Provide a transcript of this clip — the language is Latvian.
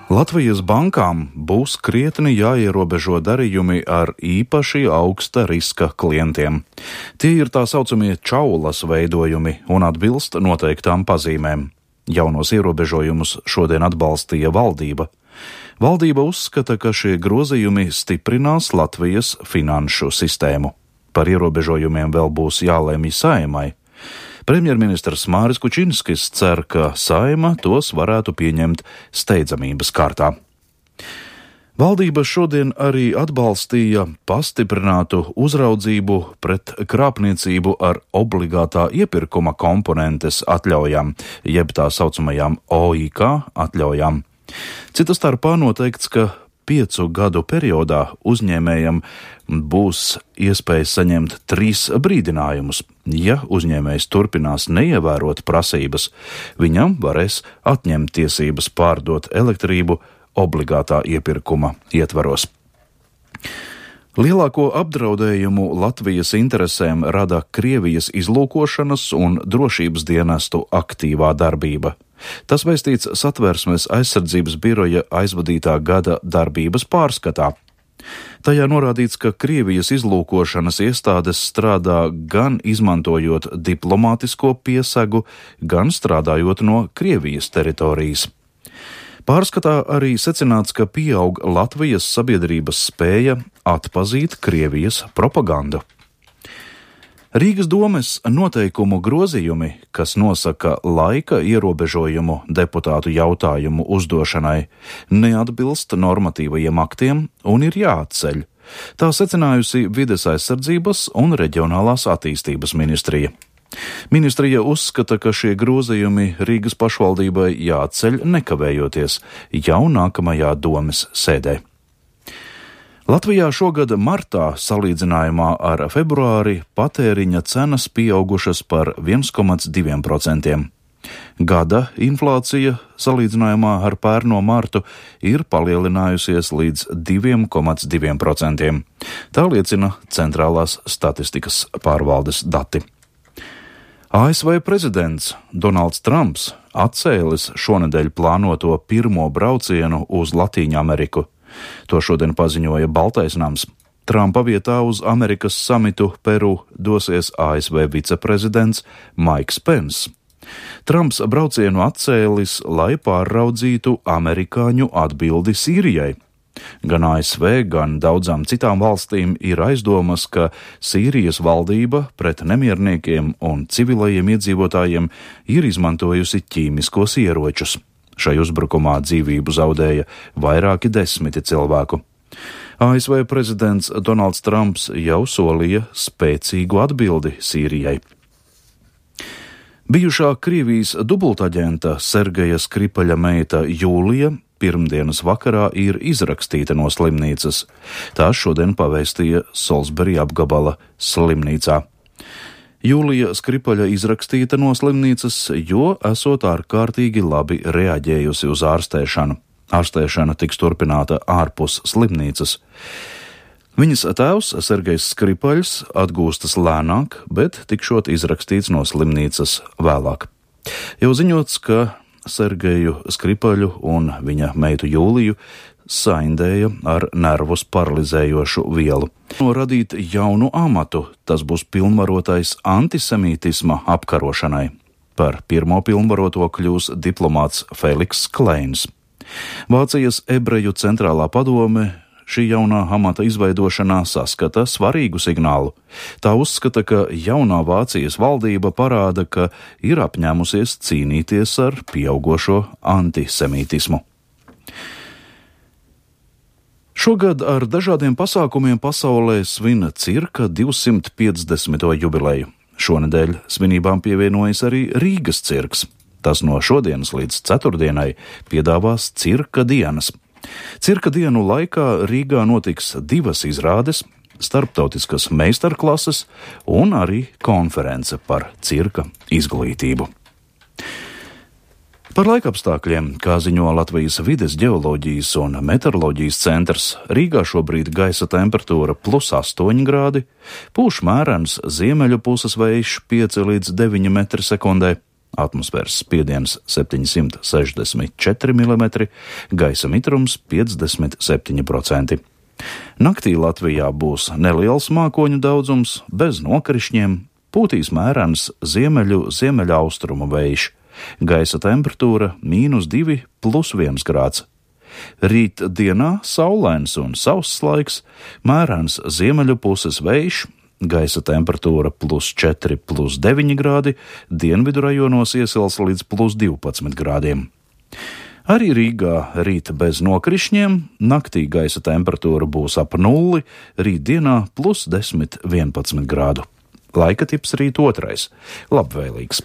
Latvijas bankām būs krietni jāierobežo darījumi ar īpaši augsta riska klientiem. Tie ir tā saucamie čaulas veidojumi un atbilst noteiktām pazīmēm. Jaunos ierobežojumus šodien atbalstīja valdība. Valdība uzskata, ka šie grozījumi stiprinās Latvijas finanšu sistēmu. Par ierobežojumiem vēl būs jālēmj Saeimai. Premjerministrs Māris Kučinskis cer, ka Saeima tos varētu pieņemt steidzamības kārtā. Valdība šodien arī atbalstīja pastiprinātu uzraudzību pret krāpniecību ar obligātā iepirkuma komponentes atļaujām, jeb tā saucamajām OIK atļaujām. Cita starpā noteikts, ka 5 gadu periodā uzņēmējam būs iespēja saņemt 3 brīdinājumus. Ja uzņēmējs turpinās neievērot prasības, viņam varēs atņemt tiesības pārdot elektrību obligātā iepirkuma ietvaros. Lielāko apdraudējumu Latvijas interesēm rada Krievijas izlūkošanas un drošības dienestu aktīvā darbība. Tas vēstīts Satversmes aizsardzības biroja aizvadītā gada darbības pārskatā. Tajā norādīts, ka Krievijas izlūkošanas iestādes strādā gan izmantojot diplomātisko piesegu, gan strādājot no Krievijas teritorijas. Pārskatā arī secināts, ka pieaug Latvijas sabiedrības spēja atpazīt Krievijas propagandu. Rīgas domes noteikumu grozījumi, kas nosaka laika ierobežojumu deputātu jautājumu uzdošanai, neatbilst normatīvajiem aktiem un ir jāatceļ. Tā secinājusi Vides aizsardzības un reģionālās attīstības ministrija. Ministrija uzskata, ka šie grozījumi Rīgas pašvaldībai jāceļ nekavējoties jau nākamajā domes sēdē. Latvijā šogad martā salīdzinājumā ar februāri patēriņa cenas pieaugušas par 1,2%. Gada inflācija salīdzinājumā ar pērno martu ir palielinājusies līdz 2,2%. Tā liecina Centrālās statistikas pārvaldes dati. ASV prezidents Donalds Trumps atcēlis šonedēļ plānoto pirmo braucienu uz Latīņu Ameriku. To šodien paziņoja Baltais nams. Trumpa vietā uz Amerikas samitu Peru dosies ASV viceprezidents Maiks Pence. Trumps braucienu atcēlis, lai pārraudzītu amerikāņu atbildi Sīrijai. Gan ASV, gan daudzām citām valstīm ir aizdomas, ka Sīrijas valdība pret nemierniekiem un civilajiem iedzīvotājiem ir izmantojusi ķīmiskos ieročus. Šai uzbrukumā dzīvību zaudēja vairāki 10 cilvēku. ASV prezidents Donalds Trumps jau solīja spēcīgu atbildi Sīrijai. Bijušā Krievijas dubultaģenta Sergeja Skripaļa meita Jūlija pirmdienas vakarā ir izrakstīta no slimnīcas. Tā šodien pavēstīja Salisbury apgabala slimnīcā. Jūlija Skripaļa izrakstīta no slimnīcas, jo esot ārkārtīgi labi reaģējusi uz ārstēšanu. Ārstēšana tiks turpināta ārpus slimnīcas. Viņas tēvs, Sergejs Skripaļs, atgūstas lēnāk, bet tikšot izrakstīts no slimnīcas vēlāk. Jau ziņots, ka Sergeju Skripaļu un viņa meitu Jūliju saindēja ar nervus paralizējošu vielu. Radīt jaunu amatu, tas būs pilnvarotais antisemītisma apkarošanai. Par pirmo pilnvaroto kļūs diplomāts Feliks Kleins. Vācijas ebreju centrālā padome šī jaunā amata izveidošanā saskata svarīgu signālu. Tā uzskata, ka jaunā Vācijas valdība parāda, ka ir apņēmusies cīnīties ar pieaugošo antisemītismu. Šogad ar dažādiem pasākumiem pasaulē svin cirka 250. jubileju. Šonedēļ svinībām pievienojas arī Rīgas cirks. Tas no šodienas līdz ceturtdienai piedāvās cirka dienas. Cirka dienu laikā Rīgā notiks 2 izrādes, starptautiskas meistarklases un arī konference par cirka izglītību. Par laikapstākļiem, kā ziņo Latvijas Vides ģeoloģijas un meteoroloģijas centrs, Rīgā šobrīd gaisa temperatūra +8 grādi, pūš mērens ziemeļu puses vējš 5 līdz 9 metri sekundē, atmosfēras spiediens 764 mm, gaisa mitrums 57%. Naktī Latvijā būs neliels mākoņu daudzums, bez nokrišņiem, pūtīs mērens ziemeļaustrumu vējš, gaisa temperatūra -2 + 1 grāds. Rīt dienā saulains un sauss laiks, mērens ziemeļu puses vējš, gaisa temperatūra +4 + 9 grādi, dienvidu rajonos iesils līdz +12 grādiem. Arī Rīgā rīt bez nokrišņiem, naktī gaisa temperatūra būs ap 0, rīt dienā +10–11 grādu. Laika tips rīt 2. Labvēlīgs.